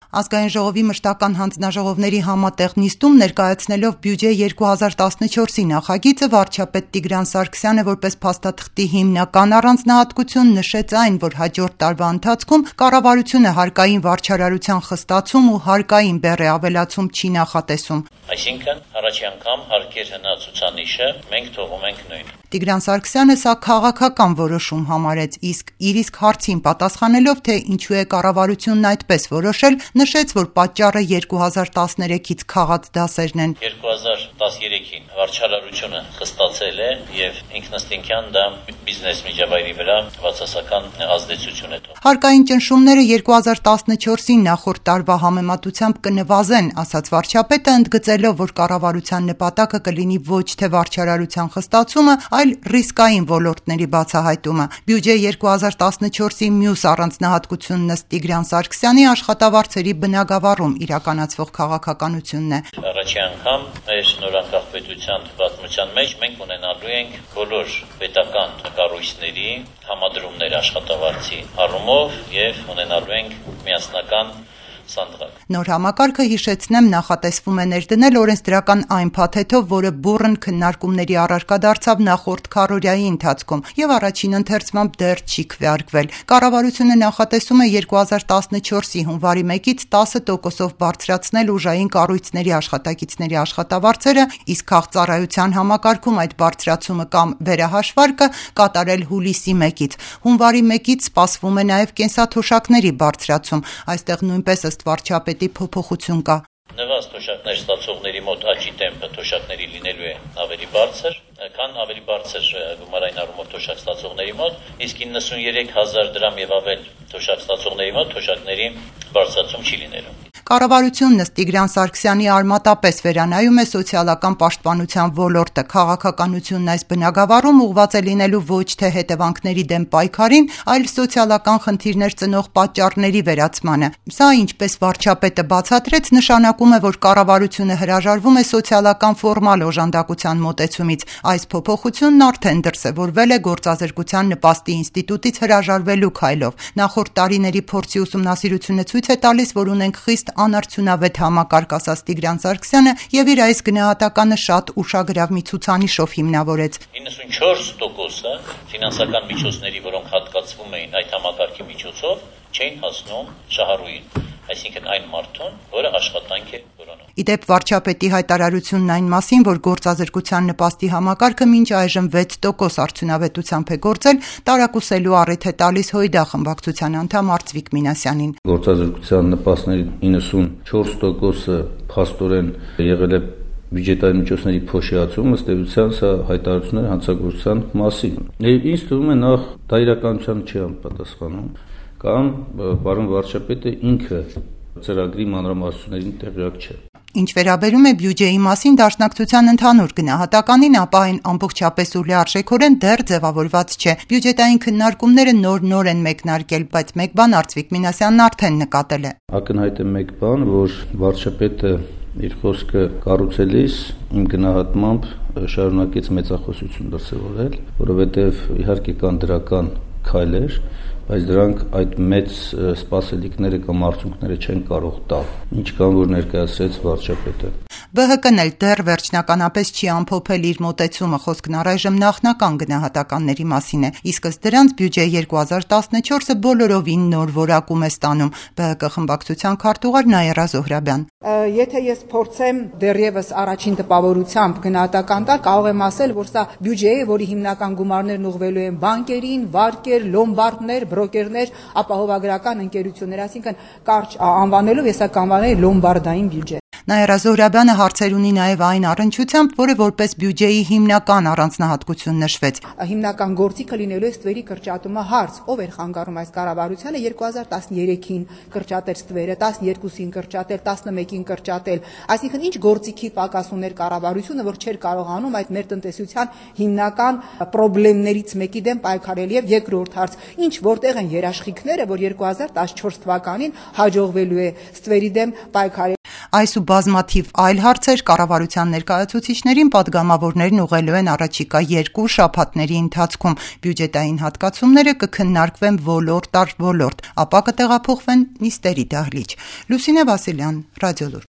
Ազգային ժողովի մշտական հանձնաժողովների համատեղ նիստում ներկայացնելով բյուջե 2014-ի նախագիծը վարչապետ Տիգրան Սարգսյանը որպես փաստաթղթի հիմնական առանձնահատկություն նշեց այն, որ հաջորդ տարվա ընթացքում կառավարությունը հարկային վարչարարության խստացում ու հարկային բեռ ավելացում չի նախատեսում։ Այսինքն առաջի անգամ հարկեր հնացուցանիշը մենք թողում ենք նույն։ Տիգրան Սարգսյանը սա քաղաքական որոշում համարեց, իսկ իր հարցին պատասխանելով, թե ինչու է կառավարությունն այդպես որոշել, նշեց, որ պատճառը 2013-ից քաղած դասերն են։ 2013-ին վարչարարությունը խստացել է եւ ինքնըստինքյան դա բիզնես միջավայրի վրա բացասական ազդեցություն է թողել։ Հարկային ճնշումները 2014-ին նախորդ տարվա համեմատությամբ կնվազեն, ասաց վարչապետը, ընդգծելով, որ կառավարության նպատակը կլինի ոչ թե վարչարարության խստացումը, այլ ռիսկային ոլորտների բացահայտումը։ Բյուջե 2014-ի մյուս առանձնահատկությունն ըստ Տիգրան Սարգսյանի աշխատավարձերի բնագավառում իրականացվող քաղաքականությունն է։ Առաջի անգամ մեր նորանկախ պետության պատմության մեջ մենք ունենալու ենք բոլոր պետական կառույցների համադրումներ աշխատավարձի առումով եւ ունենալու ենք միասնական սանդղակ։ Նոր համակարգը, հիշեցնեմ, նախատեսվում է ներդնել օրենսդրական այն փաթեթով, որը բուռն քննարկումների առարկա դարձավ նախորդ քառօրյայի ընթացքում եւ առաջին ընթերցմամբ դեռ չի քվեարկվել։ Կառավարությունը նախատեսում է 2014-ի հունվարի 1-ից 10%-ով բարձրացնել ուժային կառույցների աշխատակիցների աշխատավարձերը, իսկ քաղծառայության համակարգում այդ բարձրացումը կամ վերահաշվարկը կատարել հուլիսի 1-ից։ Հունվարի 1-ից սպասվում է նաեւ կենսաթոշակների բարձրացում։ Այստեղ նույնպես ըստ վարչապետի փոփոխություն կա։ Նվազ թոշակներ ստացողների մոտ աճի տեմպը թոշակների լինելու է ավելի բարձր, քան ավելի բարձր գումարային առումով թոշակ ստացողների մոտ, իսկ 93,000 դրամ եւ ավել թոշակ ստացողների մոտ թոշակների բարձրացում չի լինելու։ Կառավարությունն ըստ Տիգրան Սարգսյանի արմատապես վերանայում է սոցիալական պաշտպանության ոլորտը։ Քաղաքականությունն այս բնագավառում ուղղված է լինելու ոչ թե հետևանքների դեմ պայքարին, այլ սոցիալական խնդիրներ ծնող պատճառների վերացմանը։ Սա, ինչպես վարչապետը բացատրեց, նշանակում է, որ կառավարությունը հրաժարվում է սոցիալական ֆորմալ օժանդակության մոտեցումից։ Այս փոփոխությունն արդեն դրսևորվել է գործազրկության նպաստի ինստիտուտից հրաժարվելու քայլով։ Նախորդ տարիների փորձի ուսումնասիրությունը ցույց է տալիս, որ ունենք խիստ անարդյունավետ համակարգ, ասաց Տիգրան Սարգսյանը եւ իր այս գնահատականը շատ ուշագրավ մի ցուցանիշով հիմնավորեց։ 94%-ը ֆինանսական միջոցների, որոնք հատկացվում էին այդ համակարգի միջոցով, չէին հասնում շահառուին, այսինքն այն մարդուն, որը աշխատանք է որոնում։ Իդեպ վարչապետի հայտարարությունն այն մասին, որ գործազրկության նպաստի համակարգը մինչ այժմ 6% արդյունավետությամբ է գործել, տարակուսելու առիթ է տալիս ՀՅԴ խմբակցության անդամ Արծվիկ Մինասյանին։ Գործազրկության նպաստների 94%-ը փաստորեն եղել է բյուջետային միջոցների փոշիացում, ըստ էության սա հայտարարությունները հանցագործության մասին։ Ինձ թվում է նախ դա իրականության չի համապատասխանում, կամ պարոն վարչապետը ինքը ծրագրի մանրամասնություններին տեղյակ չէ։ Ինչ վերաբերում է բյուջեի մասին դաշնակցության ընդհանուր գնահատականին, ապա այն ամբողջապես ու լիարժեքորեն դեռ ձևավորված չէ։ Բյուջետային քննարկումները նոր են մեկնարկել, բայց մեկ բան Արծվիկ Մինասյանն արդեն նկատել է։ Ակնհայտ է մեկ բան, որ վարչապետը իր խոսքը կառուցելիս իմ գնահատմամբ շարունակեց մեծախոսություն դրսևորել, որովհետև իհարկե կան դրական քայլեր, բայց դրանք այդ մեծ սպասելիքները կամ արդյունքները չեն կարող տալ, ինչքան որ ներկայացրեց վարչապետը։ ԲՀԿ-ն էլ դեռ վերջնականապես չի ամփոփել իր մոտեցումը, խոսքն առայժմ նախնական գնահատականների մասին է, իսկ ըստ դրանց բյուջե 2014-ը բոլորովին նոր որակում է ստանում։ ԲՀԿ խմբակցության քարտուղար Նաիրա Զոհրաբյան։ Եթե ես փորձեմ դեռևս առաջին տպավորությամբ գնահատական տալ, կարող եմ ասել, որ սա բյուջե է, որի հիմնական գումարներն ուղղվելու են բանկերին, վարկեր, լոմբարդներ, բրոկերներ, ապահովագրական ընկերություններ, այսինքն կարճ անվանելով ես կանվանել լոմբարդային բյուջե։ Նաիրա Զոհրաբյանը հարցեր ունի նաև այն առնչությամբ, որը որպես բյուջեի հիմնական առանձնահատկություն նշվեց։ Հիմնական գործիքը լինելու է ստվերի կրճատումը հարց, ով էր խանգարում այս կառավարությանը 2013-ին կրճատել ստվերը, 12-ին կրճատել, 11-ին կրճատել, այսինքն ինչ գործիքի պակաս ուներ կառավարությունը, որ չէր կարողանում այդ մեր տնտեսության հիմնական խնդիրներից մեկի դեմ պայքարել։ Եվ երկրորդ հարց, ինչ որտեղ են երաշխիքները, որ 2014 թվականին հաջողվելու է ստվերի դեմ պայքարել։ Այս ու բազմաթիվ այլ հարցեր կառավարության ներկայացուցիչներին պատգամավորներն ուղղելու են առաջիկա 2 շաբաթների ընթացքում։ Բյուջետային հատկացումները կքննարկվեն ոլորտ առ ոլորտ, ապա կտեղափոխվեն նիստերի դահլիճ։ Լուսինե Վասիլյան, Ռադիոլուր։